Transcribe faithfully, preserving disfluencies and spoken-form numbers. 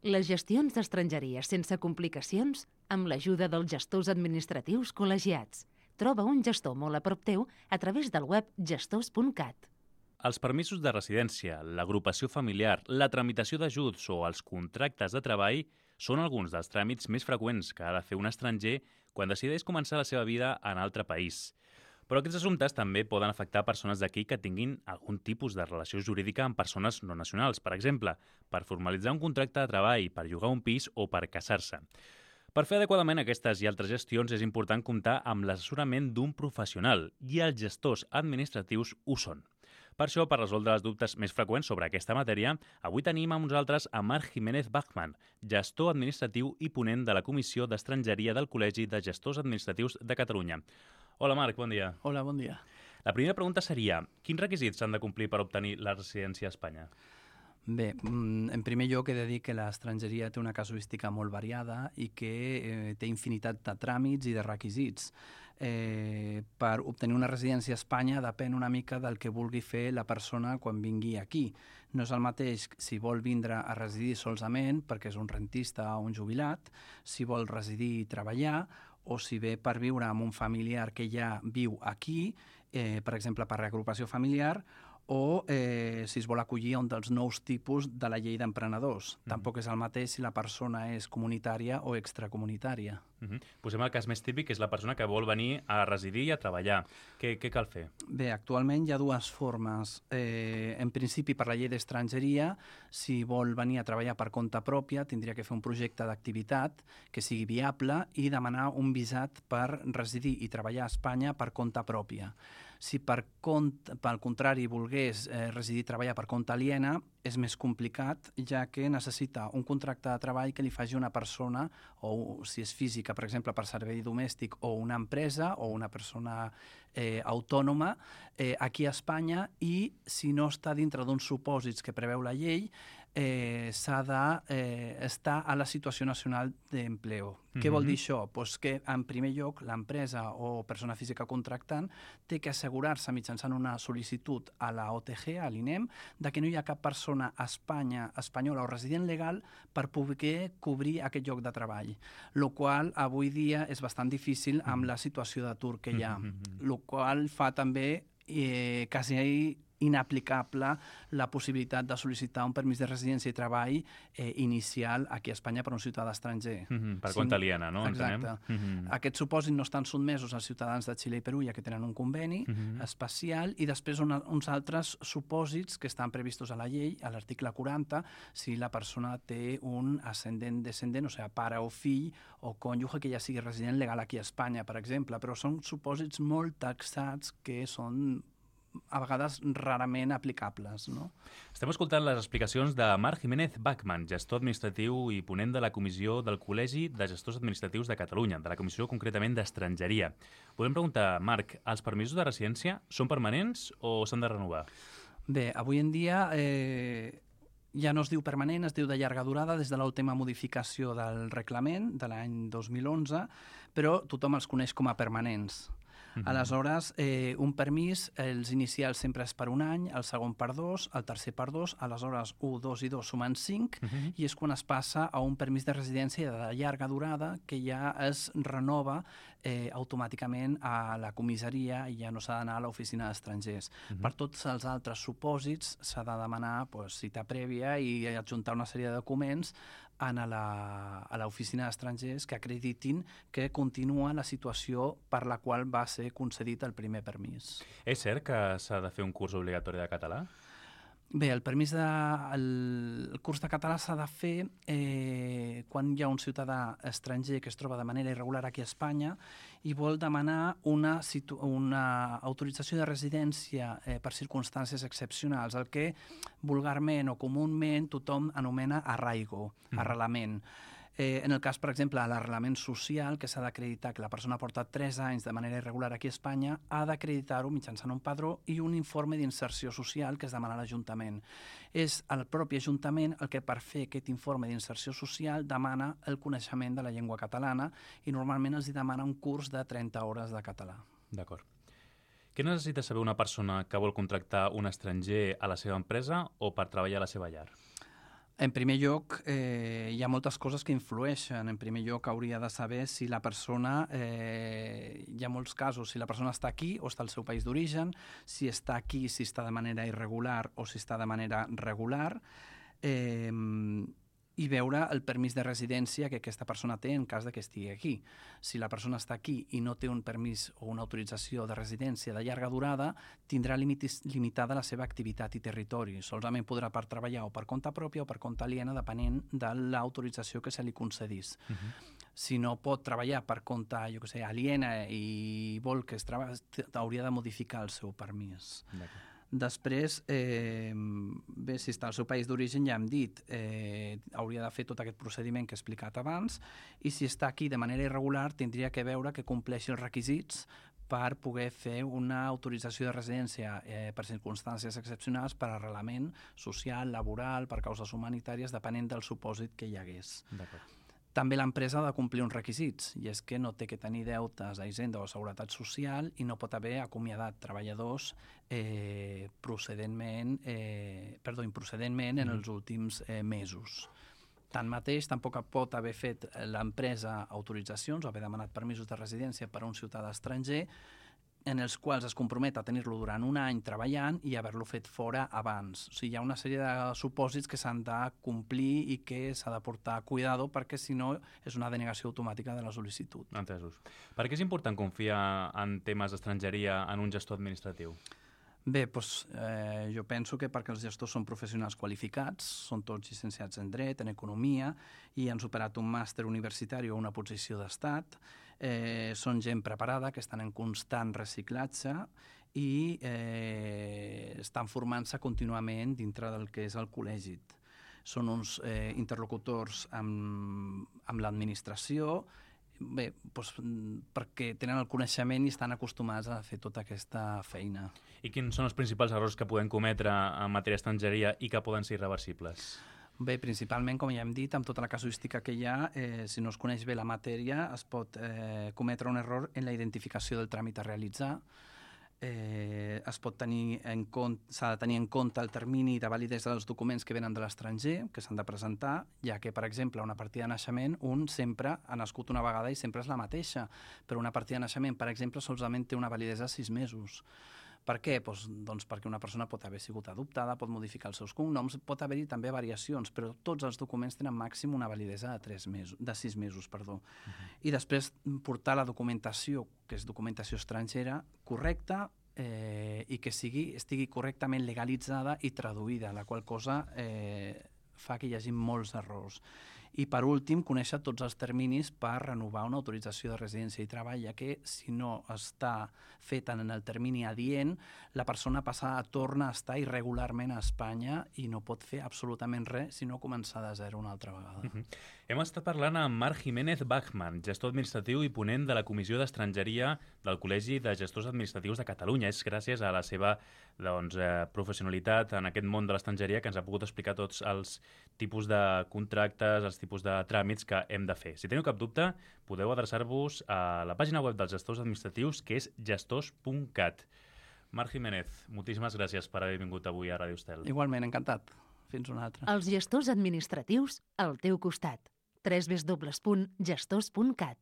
Les gestions d'estrangeria sense complicacions amb l'ajuda dels gestors administratius col·legiats. Troba un gestor molt a prop teu a través del web gestors punt cat. Els permisos de residència, l'agrupació familiar, la tramitació d'ajuts o els contractes de treball són alguns dels tràmits més freqüents que ha de fer un estranger quan decideix començar la seva vida en altre país. Però aquests assumptes també poden afectar persones d'aquí que tinguin algun tipus de relació jurídica amb persones no nacionals, per exemple, per formalitzar un contracte de treball, per llogar un pis o per casar-se. Per fer adequadament aquestes i altres gestions és important comptar amb l'assessorament d'un professional i els gestors administratius ho són. Per això, per resoldre els dubtes més freqüents sobre aquesta matèria, avui tenim amb nosaltres a Marc Jiménez Bachmann, gestor administratiu i ponent de la Comissió d'Estrangeria del Col·legi de Gestors Administratius de Catalunya. Hola Marc, bon dia. Hola, bon dia. La primera pregunta seria, quins requisits s'han de complir per obtenir la residència a Espanya? Bé, en primer lloc he de dir que l'estrangeria té una casuística molt variada i que eh, té infinitat de tràmits i de requisits. Eh, per obtenir una residència a Espanya depèn una mica del que vulgui fer la persona quan vingui aquí. No és el mateix si vol vindre a residir solament perquè és un rentista o un jubilat, si vol residir i treballar, o si ve per viure amb un familiar que ja viu aquí, eh, per exemple per reagrupació familiar, o eh, si es vol acollir a un dels nous tipus de la llei d'emprenedors. Mm-hmm. Tampoc és el mateix si la persona és comunitària o extracomunitària. Mm-hmm. Posem el cas més típic, que és la persona que vol venir a residir i a treballar. Què, què cal fer? Bé, actualment hi ha dues formes. Eh, en principi, per la llei d'estrangeria, si vol venir a treballar per compte pròpia, tindria que fer un projecte d'activitat que sigui viable i demanar un visat per residir i treballar a Espanya per compte pròpia. Si per, compte, pel contrari volgués eh, residir i treballar per compte aliena, és més complicat, ja que necessita un contracte de treball que li faci una persona, o si és física, per exemple, per servei domèstic, o una empresa, o una persona eh, autònoma, eh, aquí a Espanya, i si no està dintre d'uns supòsits que preveu la llei, eh, s'ha d'estar eh, a la situació nacional d'empleo. Mm-hmm. Què vol dir això? Pues que, en primer lloc, l'empresa o persona física contractant té que assegurar-se mitjançant una sol·licitud a la O T G, a l'INEM, de que no hi ha cap persona a Espanya, espanyola o resident legal per poder cobrir aquest lloc de treball, el qual avui dia és bastant difícil amb la situació d'atur que hi ha, el qual fa també eh, quasi inaplicable la possibilitat de sol·licitar un permís de residència i treball eh, inicial aquí a Espanya per un ciutadà estranger. Mm-hmm, per compte sí, aliena, no? Exacte. Mm-hmm. Aquests supòsits no estan sotmesos als ciutadans de Xile i Perú, ja que tenen un conveni mm-hmm. especial, i després una, uns altres supòsits que estan previstos a la llei, a l'article quaranta, si la persona té un ascendent-descendent, o sigui, pare o fill o cònjuge que ja sigui resident legal aquí a Espanya, per exemple, però són supòsits molt taxats que són a vegades rarament aplicables, no? Estem escoltant les explicacions de Marc Jiménez Bachmann, gestor administratiu i ponent de la Comissió del Col·legi de Gestors Administratius de Catalunya, de la Comissió concretament d'Estrangeria. Podem preguntar, Marc, els permisos de residència són permanents o s'han de renovar? Bé, avui en dia eh, ja no es diu permanent, es diu de llarga durada des de l'última modificació del reglament de l'any dos mil onze, però tothom els coneix com a permanents. Mm-hmm. Aleshores, eh, un permís, els inicials sempre és per un any, el segon per dos, el tercer per dos, aleshores un, dos i dos sumen cinc, mm-hmm. i és quan es passa a un permís de residència de llarga durada que ja es renova eh, automàticament a la comissaria i ja no s'ha d'anar a l'oficina d'estrangers. Mm-hmm. Per tots els altres supòsits s'ha de demanar pues, cita prèvia i adjuntar una sèrie de documents a l'oficina d'estrangers que acreditin que continua la situació per la qual va ser concedit el primer permís. És cert que s'ha de fer un curs obligatori de català? Bé, el permís de, el, el curs de català s'ha de fer eh, quan hi ha un ciutadà estranger que es troba de manera irregular aquí a Espanya i vol demanar una, situ, una autorització de residència eh, per circumstàncies excepcionals, el que vulgarment o comúment tothom anomena arraigo, mm. arrelament. Eh, en el cas, per exemple, de l'arrelament social, que s'ha d'acreditar que la persona ha portat tres anys de manera irregular aquí a Espanya, ha d'acreditar-ho mitjançant un padró i un informe d'inserció social que es demana a l'Ajuntament. És el propi Ajuntament el que, per fer aquest informe d'inserció social, demana el coneixement de la llengua catalana i normalment els demana un curs de trenta hores de català. D'acord. Què necessita saber una persona que vol contractar un estranger a la seva empresa o per treballar a la seva llar? En primer lloc, eh, hi ha moltes coses que influeixen. En primer lloc, hauria de saber si la persona, eh, hi ha molts casos, si la persona està aquí o està al seu país d'origen, si està aquí, si està de manera irregular o si està de manera regular, eh, i veure el permís de residència que aquesta persona té en cas de que estigui aquí. Si la persona està aquí i no té un permís o una autorització de residència de llarga durada, tindrà limitis, limitada la seva activitat i territori. Solament podrà per treballar o per compte pròpia o per compte aliena, depenent de l'autorització que se li concedís. Uh-huh. Si no pot treballar per compte, jo què sé, aliena i vol que es treballi, hauria de modificar el seu permís. D'acord. Després, eh, bé, si està al seu país d'origen, ja hem dit, eh, hauria de fer tot aquest procediment que he explicat abans, i si està aquí de manera irregular, tindria que veure que compleixi els requisits per poder fer una autorització de residència eh, per circumstàncies excepcionals, per arrelament social, laboral, per causes humanitàries, depenent del supòsit que hi hagués. D'acord. També l'empresa ha de complir uns requisits, i és que no té que tenir deutes a Hisenda o a Seguretat Social i no pot haver acomiadat treballadors eh, procedentment, eh, perdó, improcedentment en els últims eh, mesos. Tanmateix, tampoc pot haver fet l'empresa autoritzacions o haver demanat permisos de residència per a un ciutadà estranger en els quals es compromet a tenir-lo durant un any treballant i haver-lo fet fora abans. O sigui, hi ha una sèrie de supòsits que s'han de complir i que s'ha de portar cuidado, perquè si no és una denegació automàtica de la sol·licitud. Entesos. Per què és important confiar en temes d'estrangeria en un gestor administratiu? Bé, doncs, eh, jo penso que perquè els gestors són professionals qualificats, són tots llicenciats en dret, en economia, i han superat un màster universitari o una posició d'estat, eh, són gent preparada, que estan en constant reciclatge i eh, estan formant-se contínuament dintre del que és el col·legi. Són uns eh, interlocutors amb, amb l'administració, bé, doncs, perquè tenen el coneixement i estan acostumats a fer tota aquesta feina. I quins són els principals errors que podem cometre en matèria d'estrangeria i que poden ser irreversibles? Bé, principalment, com ja hem dit, amb tota la casuística que hi ha, eh, si no es coneix bé la matèria, es pot eh, cometre un error en la identificació del tràmit a realitzar. Eh, es pot tenir en compte, s'ha de tenir en compte el termini de validesa dels documents que venen de l'estranger, que s'han de presentar, ja que, per exemple, una partida de naixement, un sempre ha nascut una vegada i sempre és la mateixa, però una partida de naixement, per exemple, solament té una validesa de sis mesos. Per què? Doncs, doncs perquè una persona pot haver sigut adoptada, pot modificar els seus cognoms, pot haver-hi també variacions, però tots els documents tenen màxim una validesa de, tres mesos, de sis mesos. Perdó. Uh-huh. I després portar la documentació, que és documentació estrangera, correcta, eh, i que sigui, estigui correctament legalitzada i traduïda, la qual cosa eh, fa que hi hagi molts errors. I, per últim, conèixer tots els terminis per renovar una autorització de residència i treball, ja que si no està feta en el termini adient, la persona passa, torna a estar irregularment a Espanya i no pot fer absolutament res, sinó començar de zero una altra vegada. Uh-huh. Hem estat parlant amb Marc Jiménez Bachmann, gestor administratiu i ponent de la Comissió d'Estrangeria del Col·legi de Gestors Administratius de Catalunya. És gràcies a la seva doncs, eh, professionalitat en aquest món de l'estrangeria que ens ha pogut explicar tots els tipus de contractes, els tipus de tràmits que hem de fer. Si teniu cap dubte, podeu adreçar-vos a la pàgina web dels gestors administratius, que és gestors punt cat. Marc Jiménez, moltíssimes gràcies per haver vingut avui a Ràdio Estel. Igualment, encantat. Fins una altra. Els gestors administratius al teu costat. w w w punt gestors punt cat